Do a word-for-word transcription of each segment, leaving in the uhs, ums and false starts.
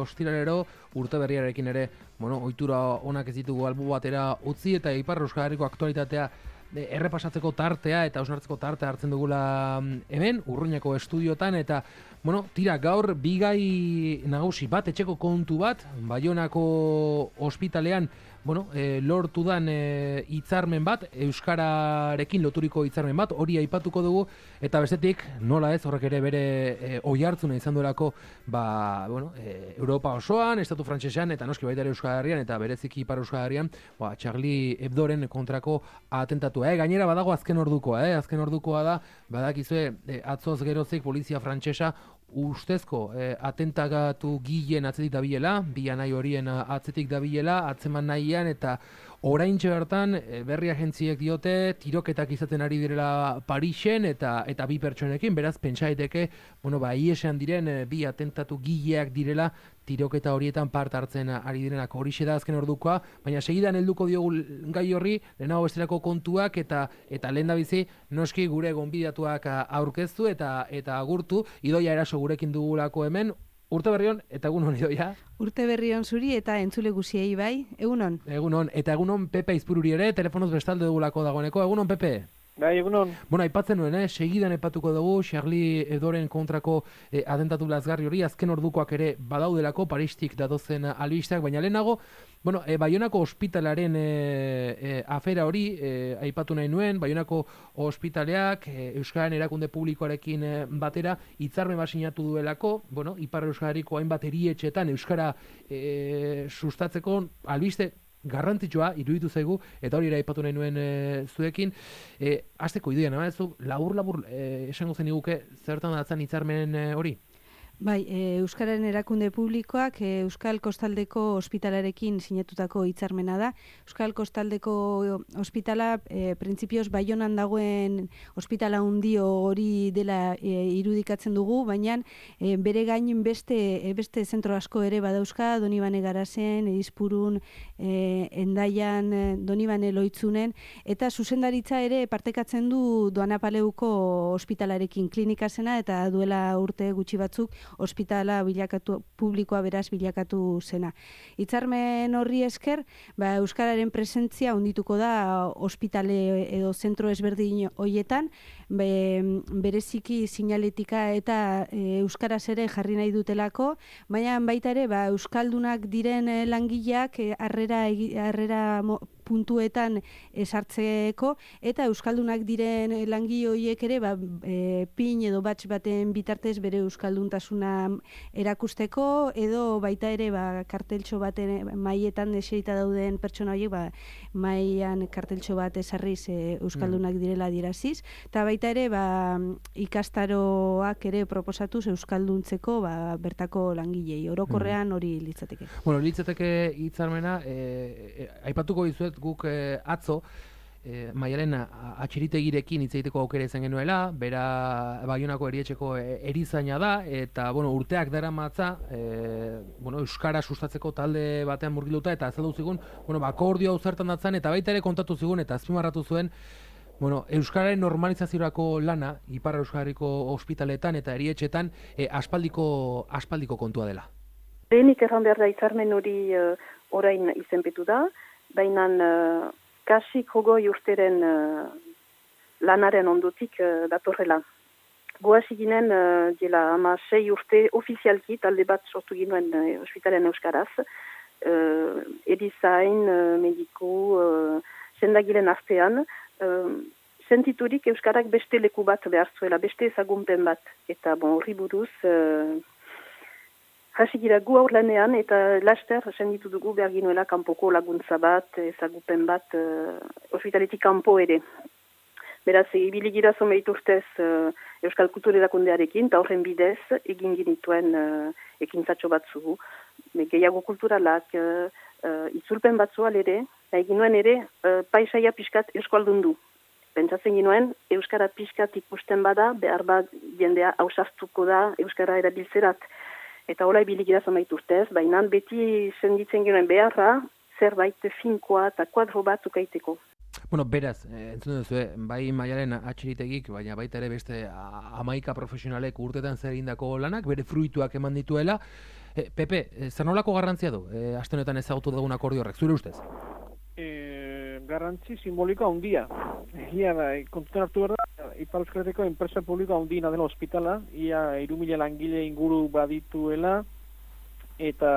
Ostiralero urte berriarekin ere, bueno, ohitura onak ez ditugu albo batera utzi eta Ipar Euskal Herriko aktualitatea errepasatzeko tartea eta hausnartzeko tartea hartzen dugula hemen, Urruñako estudiotan, eta bueno, tira gaur bigai nagusi bat, etxeko kontu bat, Baionako ospitalean, bueno, e, lortu dan e, hitzarmen bat, euskararekin loturiko hitzarmen bat, hori aipatuko dugu, eta bestetik, nola ez, horrek ere bere e, oihartzuna izan duelako, ba, bueno, e, Europa osoan, Estatu Frantsesean, eta noski baita ere Euskal Herrian, eta bereziki Ipar Euskal Herrian, ba, Charlie Hebdoren kontrako atentatua, eh? Gainera badago azken ordukoa, eh? Azken ordukoa da, badakizue, e, atzoz gerozik polizia frantsesa ustezko eh, atentagatu gilen atzetik dabilela, bi anai horien atzetik dabilela, atzeman nahian, eta oraintxe bertan e, berri agentziek diote tiroketak izaten ari direla Parisen eta eta bi pertsonekin, beraz pentsa daiteke, bueno, ba iesean diren e, bi atentatu gileak direla tiroketa horietan parte hartzen ari direnak. Horixe da azken ordukoa, baina segidan helduko diogu gai horri, lehenago bestelako kontuak eta eta lehendabizi noski gure gonbidatuak aurkeztu eta eta agurtu. Idoia Eraso gurekin dugulako hemen. Urte berrion eta egunon, Idoia. Urte berrion zuri eta entzule guziei bai, egunon. Egunon, eta egunon Pepe Izpururi ere, telefonoz bestalde dugulako dagoeneko. Egunon, Pepe. Bai, egunon. Bueno, aipatzen nuen, eh? Segidan aipatuko dugu, Charlie Hebdoren kontrako eh, atentatu lazgarri hori, azken ordukoak ere badaudelako, Paristik datozen albisteak, baina lehenago, bueno, e, Baionako ospitalaren e, e, afera hori e, aipatu nahi nuen, Baionako ospitaleak e, Euskararen erakunde publikoarekin e, batera hitzarmen bat sinatu duelako, bueno, Ipar Euskal Herriko hainbat erietxetan Euskara e, sustatzeko albiste garrantzitsua iruditu zaigu, eta hori ere aipatu nahi nuen e, zuekin. E, Azteko Idoia, nama ez du, labur-labur e, esango zen iguke zertan datzan hitzarmen e, hori? Bai, e, Euskararen erakunde publikoak e, Euskal Kostaldeko ospitalarekin sinatutako hitzarmena da. Euskal Kostaldeko ospitala e, printzipioz Baionan dagoen ospitala hundio hori dela e, irudikatzen dugu, baina e, bere gain beste e, beste zentro asko ere badauzka, Donibane Garazen, Edizpurun, e, Endaian, Donibane Loitzunen, eta zuzendaritza ere partekatzen du Doanapaleuko ospitalarekin, klinikazena, eta duela urte gutxi batzuk ospitala bilakatu, publikoa beraz bilakatu zena. Hitzarmen horri esker, ba, Euskararen presentzia handituko da ospitale edo zentro ezberdin hoietan, be, bereziki sinaletika eta e, Euskaraz ere jarri nahi dutelako, baina baita ere ba, Euskaldunak diren langileak e, harrera, harrera puntuetan esartzeko, eta Euskaldunak diren langile horiek ere ba, e, pin edo batx baten bitartez bere Euskalduntasuna erakusteko, edo baita ere ba, karteltxo baten maietan eserita dauden pertsona horiek ba, maian karteltxo bat esarriz e, Euskaldunak direla diraziz, eta baita ere ba, ikastaroak ere proposatuz Euskalduntzeko ba, bertako langilei. Orokorrean hori litzateke. Bueno, litzateke hitzarmena, e, e, aipatuko dizuet guk e, atzo, e, Maialen atxiritegirekin hitz egiteko aukera izan genuela, bera Baionako erietxeko erizaina da, eta bueno, urteak daramatza, e, bueno, Euskara sustatzeko talde batean murgilduta, eta azaldu zigun, bueno, akordio hau zertan datzan, eta baita ere kontatu zigun, eta azpimarratu zuen, bueno, Euskararen normalizaziorako lana, Ipar Euskal Herriko ospitaletan eta erietxetan, e, aspaldiko, aspaldiko kontua dela. Lehenik erran behar da hitzarmen hori uh, orain izenpetu da, baina uh, kasik hogoi urteren uh, lanaren ondotik uh, datorrela. Goaz ginen, uh, dela ama sei urte ofizialki talde bat sortu ginoen uh, ospitalen euskaraz, uh, edizain, uh, mediku, uh, zendagilen artean, uh, sentiturik euskarak beste leku bat behar zuela, beste ezagunpen bat, eta bon, horri buruz, uh, hasi gira gu aur lanean, eta laster senditu dugu behar ginuela kanpoko laguntza bat, ezagupen bat, uh, ospitaletik kanpo ere. Beraz, ibili gira zomeit urtez uh, Euskal Kultur Erakundearekin, eta horren bidez egin ginituen uh, ekintzatxo batzu, gehiago kulturalak, uh, uh, itzulpen batzu alere, nahi ginuen ere uh, paisaia pixkat euskaldundu. Pentsatzen ginuen, Euskara pixkat ikusten bada, behar bat jendea ausartuko da Euskara erabiltzerat. Eta hola ibilikira zomait urtez, baina beti senditzen ginen beharra, zerbait finkoa eta kuadro bat ukaiteko. Bueno, beraz, entzun duzu, bai Maialen atxiritegik, baina baita ere beste hamaika profesionalek urtetan zer egindako lanak, bere fruituak eman dituela, E, Pepe, zer nolako garrantzia du, e, aste honetan ezagutu dugun akordio horrek, zure ustez? E, garrantzi simbolika handia. Egia da, kontutan hartu behar da, Ipar Euskal Herriko enpresa publiko handiena dela ospitala, ia hiru mila langile inguru badituela, eta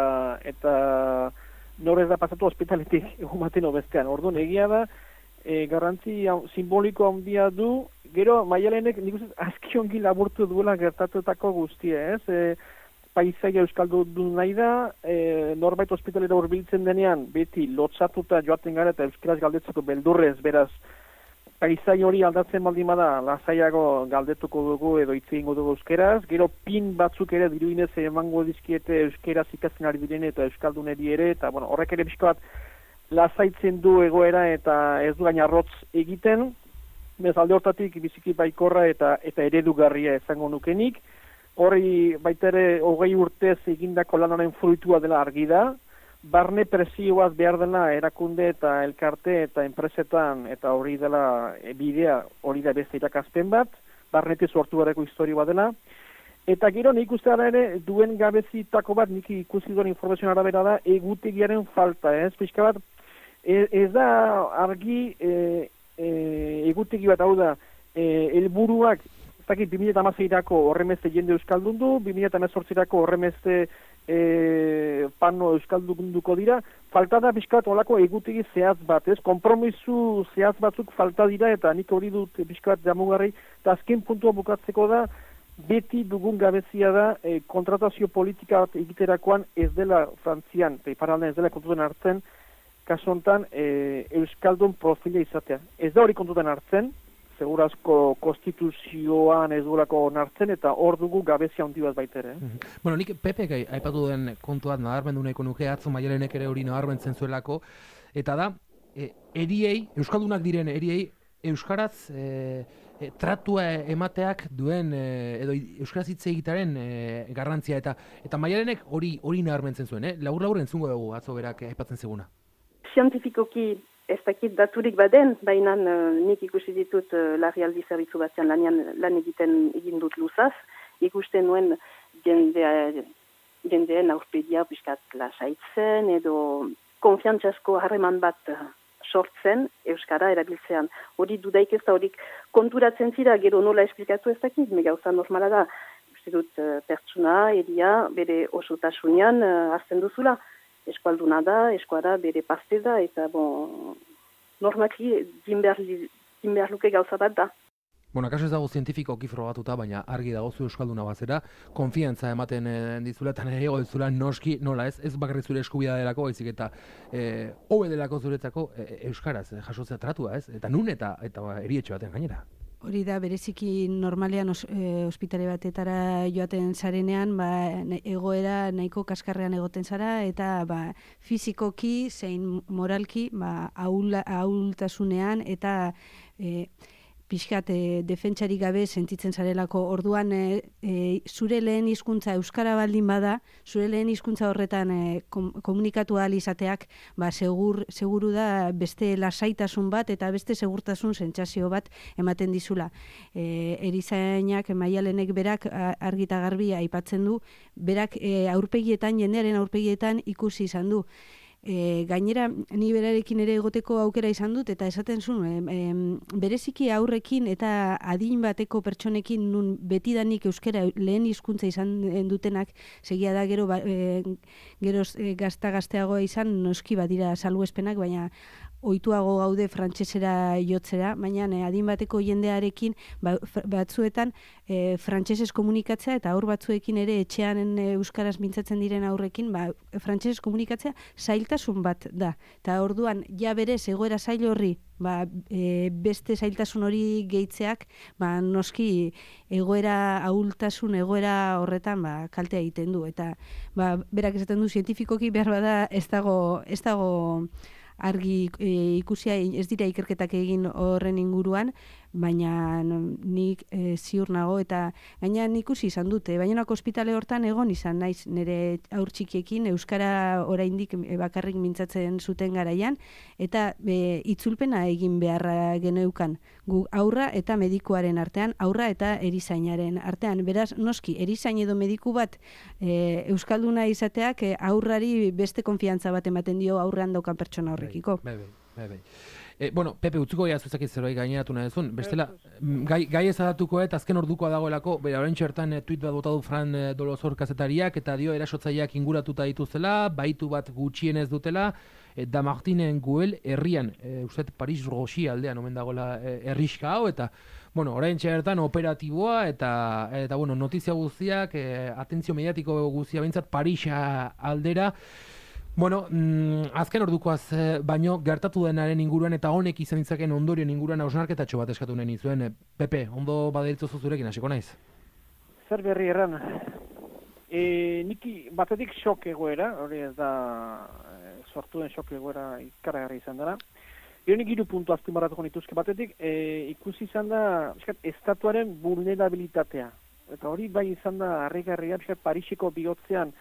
eta norez da pasatu ospitaletik egun baten obestean. Orduan, egia da, e, garrantzi simboliko handia du, gero, Maialenek nik uste azki ongi laburtu duela gertatutako guztia, ez? E, paisaia euskaldu du nahi da, e, norbait ospitalera hurbiltzen denean, beti lotzatuta joaten gara eta euskaraz galdetzeko beldurrez, beraz, paisai hori aldatzen baldin bada, lasaiago galdetuko dugu edo hitz egingo dugu euskeraz, gero pin batzuk ere diruinez emango dizkiete euskeraz ikasten ari diren eta euskalduneri ere, eta bueno, horrek ere pixko bat lasaitzen du egoera eta ez du gaina arrotz egiten, bez alde hortatik biziki baikorra eta eta eredugarria izango nukenik, hori baita ere hogei urtez egindako lanaren fruitua dela argi da, barne presioaz behar dela erakunde eta elkarte eta enpresetan eta hori dela bidea, hori da beste irakaspen bat, barnetik sortu bereko historia dela, eta gero nik uste ara ere duen gabezitako bat nik ikusi duen informazioan arabera da egutegiaren falta, ez? Pixka bat, ez, ez da argi e, e, egutegi bat hau da, e, helburuak bi mila hamaseirako horremeste jende euskaldun du, bi mila hemezortzirako horremeste e, pano euskaldunduko dira, falta da pixkat olako egutegi zehaz bat, ez? Konpromisu zehaz batzuk falta dira, eta nik hori dut pixkat jamugarri, eta azken puntua bukatzeko da, beti dugun gabezia da, e, kontratazio politika bat egiterakoan ez dela Frantzian, eta iparaldean ez dela kontutan hartzen, kasu honetan e, euskaldun profila izatea. Ez da hori kontutan hartzen, segurazko konstituzioan ez duelako onartzen, eta hor dugu gabezia handi bat baitere. Eh? Mm-hmm. Bueno, nik Pepek aipatu duen kontuat nabarmendu nahiko nuke, atzo Maialenek ere hori nabarmentzen zuelako, eta da, e, eriei, euskaldunak diren eriei, euskaraz e, e, tratua emateak duen, e, edo euskaraz hitz egitaren e, garrantzia, eta eta Maialenek hori hori nabarmentzen zuen, eh? Labur-labur entzungo dugu atzo berak aipatzen zeguna. Zientifikoki ez dakit daturik baden, baina uh, nik ikusi ditut uh, larrialdi zerbitzu batean lanian, lan egiten egin dut luzaz, ikusten nuen jendea, jendeen aurpegia piskat lasaitzen edo konfiantzasko harreman bat sortzen euskara erabiltzean. Hori dudaik ez da horik konturatzen zira, gero nola esplikatu ez dakit, me gauza normala da, uste dut uh, pertsuna, eria, bere osotasunean uh, hartzen duzula. Eskualduna da, eskuara bere parte da, eta bon, normaki din behar luke gauza bat da. Bueno, akaso ez dago zientifikoki frogatuta, baina argi dago zu euskalduna bazera, konfiantza ematen e, dizula, eta nire dizula noski, nola ez, ez bakarrik zure eskubida delako, baizik eta e, hobe delako zuretzako e, euskaraz e, jasotzea tratua, ez? Eta nun eta, eta erietxo baten gainera. Hori da, bereziki normalean os, e, ospitale batetara joaten zarenean, ba, egoera nahiko kaskarrean egoten zara, eta ba, fizikoki zein moralki ba, ahul, ahultasunean eta e, pixkat e, defentsari gabe sentitzen zarelako. Orduan e, e, zure lehen hizkuntza euskara baldin bada, zure lehen hizkuntza horretan e, kom, komunikatu ahal izateak, ba, segur, seguru da beste lasaitasun bat eta beste segurtasun sentsazio bat ematen dizula. E, erizainak, Maialenek berak argita garbi aipatzen du, berak e, aurpegietan, jendearen aurpegietan ikusi izan du. E, gainera, ni berarekin ere egoteko aukera izan dut, eta esaten zuen, e, e, bereziki aurrekin eta adin bateko pertsonekin nun betidanik euskera lehen hizkuntza izan dutenak, segia da gero, ba, e, gero e, gazta-gazteagoa izan noski badira salbuespenak, baina ohituago gaude frantsesera jotzera, baina e, adin bateko jendearekin ba, batzuetan e, frantsesez komunikatzea, eta aur batzuekin ere etxean e, euskaraz mintzatzen diren aurrekin, ba, frantsesez komunikatzea zailtasun bat da. Eta orduan, ja berez egoera zail horri, ba, e, beste zailtasun hori gehitzeak, ba, noski egoera ahultasun, egoera horretan ba, kaltea egiten du. Eta ba, berak esaten du, zientifikoki behar bada ez dago, ez dago argi e, ikusia ez dira ikerketak egin horren inguruan, baina nik e, ziur nago, eta gaina ikusi izan dute, Baionako ospitale hortan egon izan naiz nire haur txikiekin, euskara oraindik bakarrik mintzatzen zuten garaian, eta e, itzulpena egin beharra geneukan, gu aurra eta medikuaren artean, aurra eta erizainaren artean. Beraz, noski, erizain edo mediku bat e, euskalduna izateak e, aurrari beste konfiantza bat ematen dio aurrean daukan pertsona horrekiko. Bai, bai, bai, bai. E, bueno, Pepe, utzuko ja zuzak zerbait gaineratu nahi duzun. Bestela, gai, gai ezadatuko eta azken ordukoa dagoelako, bera orain txertan e, tuit bat bota du Fran e, Dolosor kazetariak, eta dio erasotzaileak inguratuta dituzela, baitu bat gutxienez dutela, e, da Martinen Guel herrian, e, ustet Paris Roxi aldean omen dagoela e, herriska hau, eta bueno, orain txertan operatiboa, eta, eta bueno, notizia guztiak, e, atentzio mediatiko guztia behintzat Parisa aldera. Bueno, mm, azken ordukoaz eh, baino gertatu denaren inguruan eta honek izan ditzaken ondorioen inguruan hausnarketatxo bat eskatu nahi nizuen. E, Pepe, ondo baderitzozu zurekin, hasiko naiz? Zer berri erran? E, niki batetik xok egoera, hori ez da e, sortu den xok egoera ikaragarri izan dara. Gero nik hiru puntu azpimarratuko nituzke batetik, e, ikusi izan da eskat, estatuaren vulnerabilitatea. Eta hori bai izan da harrigarria, Pariseko bihotzean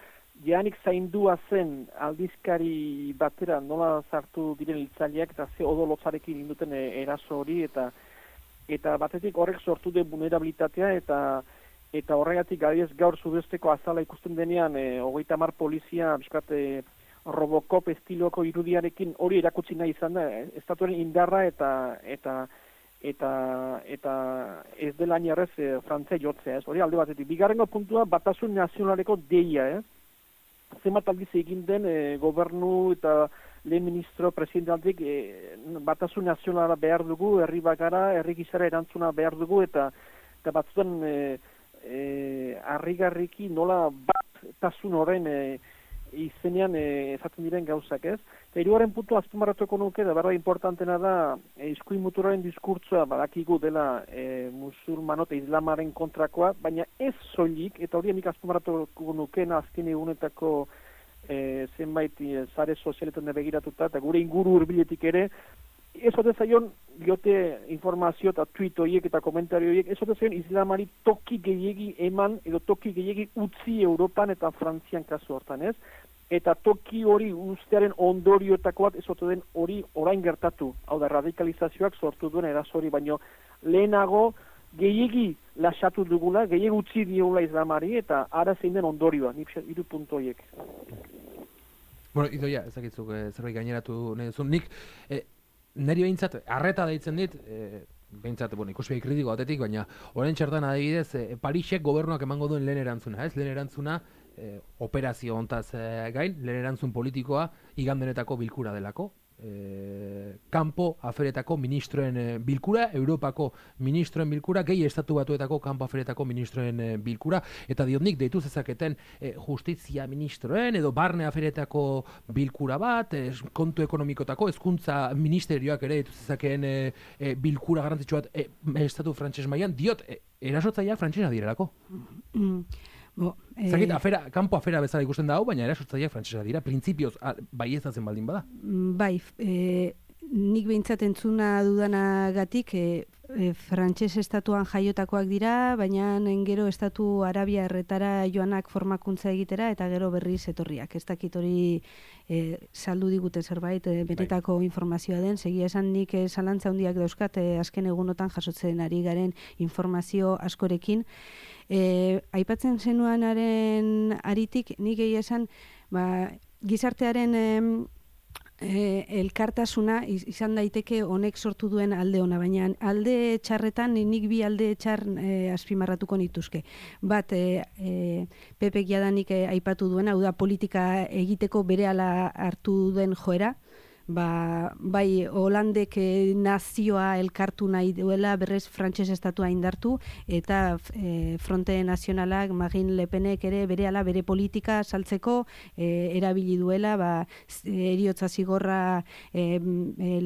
Janik zaindua zen aldizkari batera nola sartu diren hiltzaileak eta ze odolotzarekin induten eraso hori, eta eta batetik horrek sortu den vulnerabilitatea, eta eta horregatik adibidez gaur Sudesteko azala ikusten denean e, hogeita hamar polizia bizkat e, Robocop estiloko irudiarekin hori erakutsi nahi izan da, e, estatuaren indarra eta eta eta eta ez dela inerrez e, frantzia jotzea, ez hori alde batetik. Bigarrengo puntua batasun nazionaleko deia, eh? Zenbat aldiz egin den e, gobernu eta lehen ministro presidentaldik e, batasun nazionala behar dugu, herri bagara, herri gizara erantzuna behar dugu, eta, eta batzutan e, e, harrigarriki nola bat tasun horren e, izenean e, ezatzen diren gauzak, ez? Eta hirugarren puntu azpimarratuko nuke, da berda importantena da e, iskuin muturaren diskurtsoa badakigu dela e, musulmano eta islamaren kontrakoa, baina ez soilik, eta hori nik azpimarratuko nukena azken egunetako e, zenbait e, sare sozialetan begiratuta, eta gure inguru hurbiletik ere, ez ote zaion diote informazio eta tweet horiek eta komentario horiek, ez ote zaion islamari toki gehiegi eman, edo toki gehiegi utzi Europan eta Frantzian kasu hortan, ez? Eta toki hori ustearen ondorioetako bat ez ote den hori orain gertatu, hau da radikalizazioak sortu duen eraso hori, baino lehenago gehiegi lasatu dugula, gehiegi utzi diogula islamari, eta ara zein den ondorioa, nik hiru puntu horiek. Bueno, Idoia, ezakitzuk e, zerbait gaineratu nahi duzun. Nik, e, niri behintzat, arreta deitzen dit, e, behintzat, bueno, ikuspegi kritiko batetik, baina orain txertan adibidez, e, Parisek gobernuak emango duen lehen erantzuna, ez? Lehen erantzuna, e, operazio hontaz e, gain, lehen erantzun politikoa igandenetako bilkura delako. E, kanpo aferetako ministroen e, bilkura, Europako ministroen bilkura, gehi estatu batuetako kanpo aferetako ministroen e, bilkura, eta diotnik deitu zezaketen e, justizia ministroen edo barne aferetako bilkura bat, e, kontu ekonomikotako, hezkuntza ministerioak ere deitu zezakeen e, e, bilkura garrantzitsu bat e, estatu frantses mailan, diot, e, erasotzaileak frantsesa direlako. Mm. Bo, eh, Zagit, afera, kanpo afera bezala ikusten da hau, baina erasotzaileak frantsesa dira, printzipioz bai ezatzen baldin bada. Bai, e, nik behintzat entzuna dudanagatik e, e, frantses estatuan jaiotakoak dira, baina gero estatu Arabia erretara joanak formakuntza egitera eta gero berriz etorriak. Ez dakit hori e, saldu digute zerbait, e, benetako informazioa den, segia esan nik e, zalantza handiak dauzkat e, azken egunotan jasotzen ari garen informazio askorekin. E, aipatzen zenuanaren aritik, nik egia esan, ba, gizartearen e, e, elkartasuna izan daiteke honek sortu duen alde ona, baina alde txarretan nik bi alde txar e, azpimarratuko nituzke. Bat, e, e, Pepek jadanik e, aipatu duena, hau da politika egiteko berehala hartu duen joera, ba, bai Holandek e, nazioa elkartu nahi duela, berrez frantses estatua indartu, eta e, Fronte Nazionalak, Marine Le Penek ere berehala bere politika saltzeko e, erabili duela, ba, heriotza zigorra e,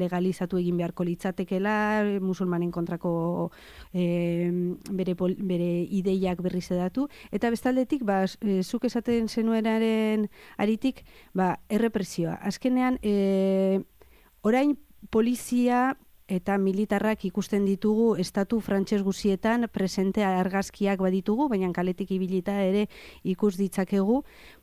legalizatu egin beharko litzatekela, musulmanen kontrako e, bere, pol, bere ideiak berriz edatu, eta bestaldetik, ba, e, zuk esaten zenuenaren aritik, ba, errepresioa. Azkenean, e, orain polizia eta militarrak ikusten ditugu estatu frantses guzietan presente argazkiak baditugu, baina kaletik ibilita ere ikus ditzakegu,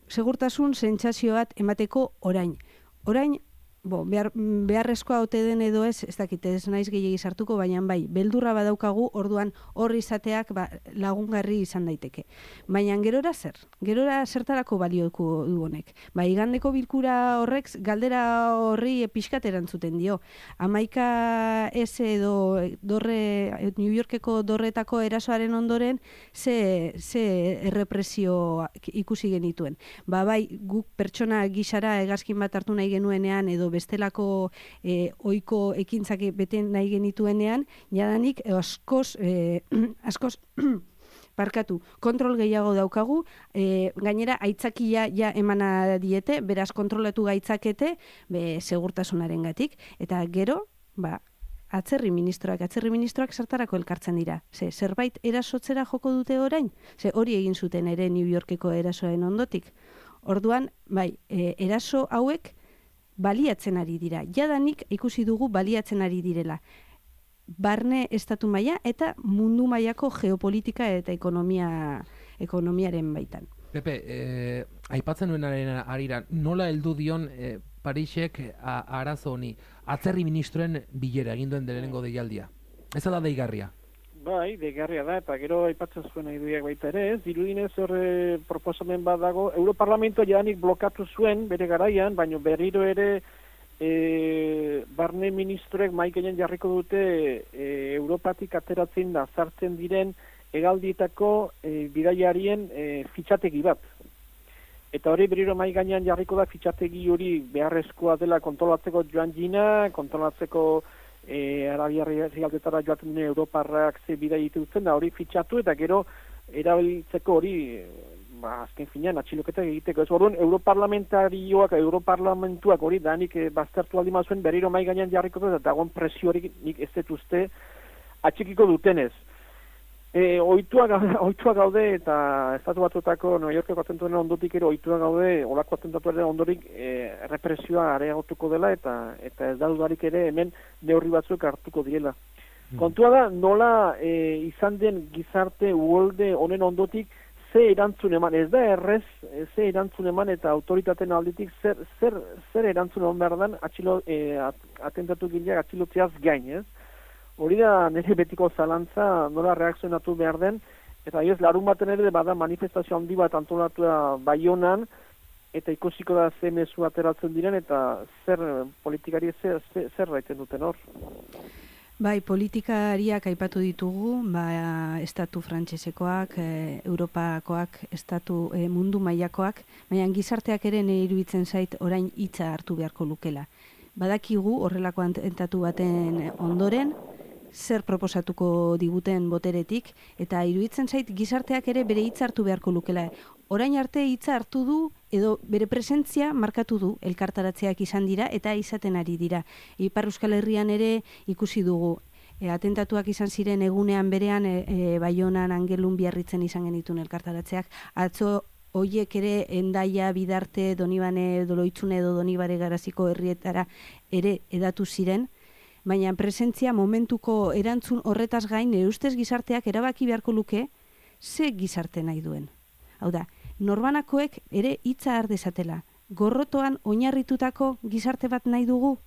segurtasun sentsazio bat emateko orain. Orain, bo, behar, beharrezkoa ote den edo ez, ez dakit, ez naiz gehiegi sartuko, baina bai, beldurra badaukagu, orduan hor izateak ba, lagungarri izan daiteke. Baina gerora zer? Gerora zertarako balioko du honek? Ba, igandeko bilkura horrek galdera horri pixkat erantzuten dio. Hamaika ez edo dorre, New Yorkeko dorretako erasoaren ondoren ze, ze errepresio ikusi genituen. Ba, bai, guk pertsona gisara hegazkin bat hartu nahi genuenean edo bestelako eh, oiko ekintzak beten nahi genituenean, jadanik askoz, eh, askoz barkatu, kontrol gehiago daukagu, eh, gainera aitzakia ja emana diete, beraz kontrolatu gaitzakete, be, segurtasunaren gatik, eta gero, ba, atzerri ministroak, atzerri ministroak zertarako elkartzen dira. Ze, zerbait erasotzera joko dute orain? Ze, hori egin zuten ere New Yorkeko erasoen ondotik. Orduan, bai, eh, eraso hauek baliatzen ari dira. Jadanik ikusi dugu baliatzen ari direla. Barne estatu maila eta mundu mailako geopolitika eta ekonomia ekonomiaren baitan. Pepe, eh, aipatzen nuenaren arira, nola heldu dion eh, Parisek a, arazo honi, atzerri ministroen bilera egin duen lehenengo deialdia? Ez da deigarria? Bai, deigarria da, eta gero aipatzen zuen iduiak baita ere, ez, dirudinez horre proposamen bat dago, Europarlamentoa jadanik blokatu zuen bere garaian, baina berriro ere e, barne ministroek maikainen jarriko dute e, Europatik ateratzen da zartzen diren hegaldietako e, bidaiarien e, fitxategi bat. Eta hori berriro mai gainean jarriko da fitxategi hori beharrezkoa dela kontrolatzeko joan jina, kontrolatzeko E, Arabiarri zigaldetara joaten dune Europarrak ze bidai ditutzen da hori fitxatu eta gero erabiltzeko hori ba, azken finean atxiloketak egiteko. Ez orduan Europarlamentarioak, Europarlamentuak hori danik e, baztertu aldi mazuen berriro mai gainean jarriko da eta dagoen presio hori nik ez dut uste atxikiko dutenez. E, oituak, oituak gaude eta estatu batutako New Yorkeko atentatuaren ondotik ere oituak gaude olako atentatuaren ondorik e, represioa areagotuko dela eta eta ez da dudarik ere hemen neurri batzuk hartuko direla. Mm. Kontua da nola e, izan den gizarte uholde honen ondotik ze erantzun eman, ez da errez ze erantzun eman eta autoritateen aldetik zer, zer, zer erantzun eman behar den atxilo, e, atentatu gileak atxilotzeaz gain, ez? Hori da nire betiko zalantza nola reakzionatu behar den, eta ez larun baten ere bada manifestazio handi bat antolatua Baionan, eta ikusiko da ze mezu ateratzen diren, eta zer politikari zer, zer, zer raiten duten hor. Bai, politikariak aipatu ditugu, ba, estatu frantsesekoak, e, Europakoak, estatu e, mundu mailakoak, baina gizarteak ere nire iruditzen zait orain hitza hartu beharko lukela. Badakigu horrelako atentatu baten ondoren, zer proposatuko diguten boteretik, eta iruditzen zait gizarteak ere bere hitza hartu beharko lukela. Orain arte hitza hartu du, edo bere presentzia markatu du, elkartaratzeak izan dira, eta izaten ari dira. Ipar Euskal Herrian ere ikusi dugu, e, atentatuak izan ziren egunean berean, e, e, Baionan, Angelun, Biarritzen izan genitun elkartaratzeak, atzo hoiek ere Hendaia, Bidarte, Donibane, Doloitzune edo Donibare Garaziko herrietara ere edatu ziren, baina presentzia momentuko erantzun horretaz gain, nire ustez gizarteak erabaki beharko luke, ze gizarte nahi duen. Hau da, norbanakoek ere hitza har dezatela. Gorrotoan oinarritutako gizarte bat nahi dugu?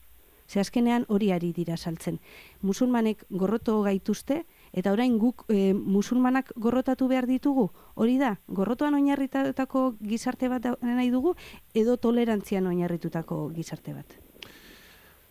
Ze azkenean hori ari dira saltzen. Musulmanek gorroto gaituzte, eta orain guk e, musulmanak gorrotatu behar ditugu? Hori da, gorrotoan oinarritutako gizarte bat nahi dugu, edo tolerantzian oinarritutako gizarte bat?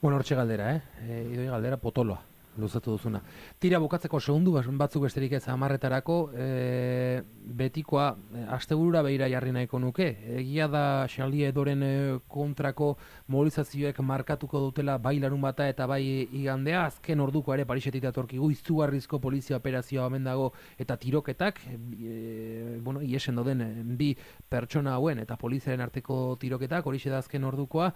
Bueno, hortxe galdera, eh? E, idoi galdera potoloa, luzatu duzuna. Tira bukatzeko segundu batzuk besterik ez hamarretarako, e, betikoa, e, asteburura behira jarri nahiko nuke. Egia da Charlie Hebdoren e, kontrako mobilizazioek markatuko dutela bai larun bata eta bai igandea, azken orduko ere Parisetik datorkigu izugarrizko polizia operazioa omen dago eta tiroketak, e, bueno, iesen doden bi pertsona hauen eta poliziaren arteko tiroketak, horixe da azken ordukoa.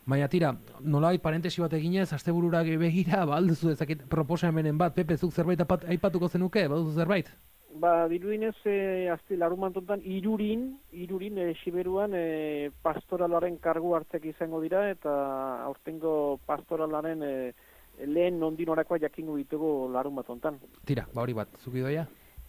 Baina tira, nolai parentesi bat eginez, asteburura begira, ba, alduzu ezakit proposamenen bat, Pepe, zuk zerbait aipatuko zenuke, baduzu zerbait? Ba, dirudinez, e, azte larun mantontan, irurin, irurin, e, Siberuan, e, pastoralaren kargu hartzek izango dira, eta aurtengo pastoralaren e, lehen nondinorakoa jakingo ditugu larun bat hontan. Tira, ba hori bat, zuki doia?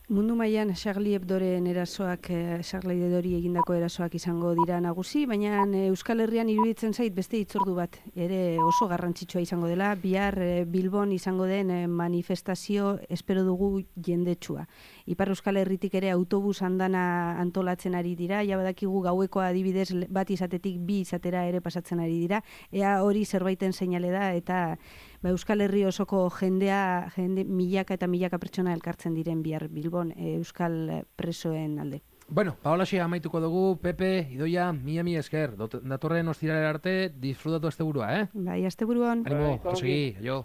Mundu mailan Charlie Hebdoren erasoak, eh, Charlie Hebdori egindako erasoak izango dira nagusi, baina eh, Euskal Herrian iruditzen zait beste hitzordu bat ere oso garrantzitsua izango dela. Bihar eh, Bilbon izango den eh, manifestazio espero dugu jendetsua. Ipar Euskal Herritik ere autobus andana antolatzen ari dira, ja badakigu gaueko adibidez bat izatetik bi izatera ere pasatzen ari dira. Ea hori zerbaiten seinale da eta ba, Euskal Herri osoko jendea, jende milaka eta milaka pertsona elkartzen diren bihar Bilbon e, Euskal presoen alde. Bueno, Paolaxe amaituko dugu, Pepe, Idoia, mila mila esker. Datorren ostiralera arte, disfrutatu asteburua, eh? Bai, asteburuan. Animo, Bai, osegi, jo.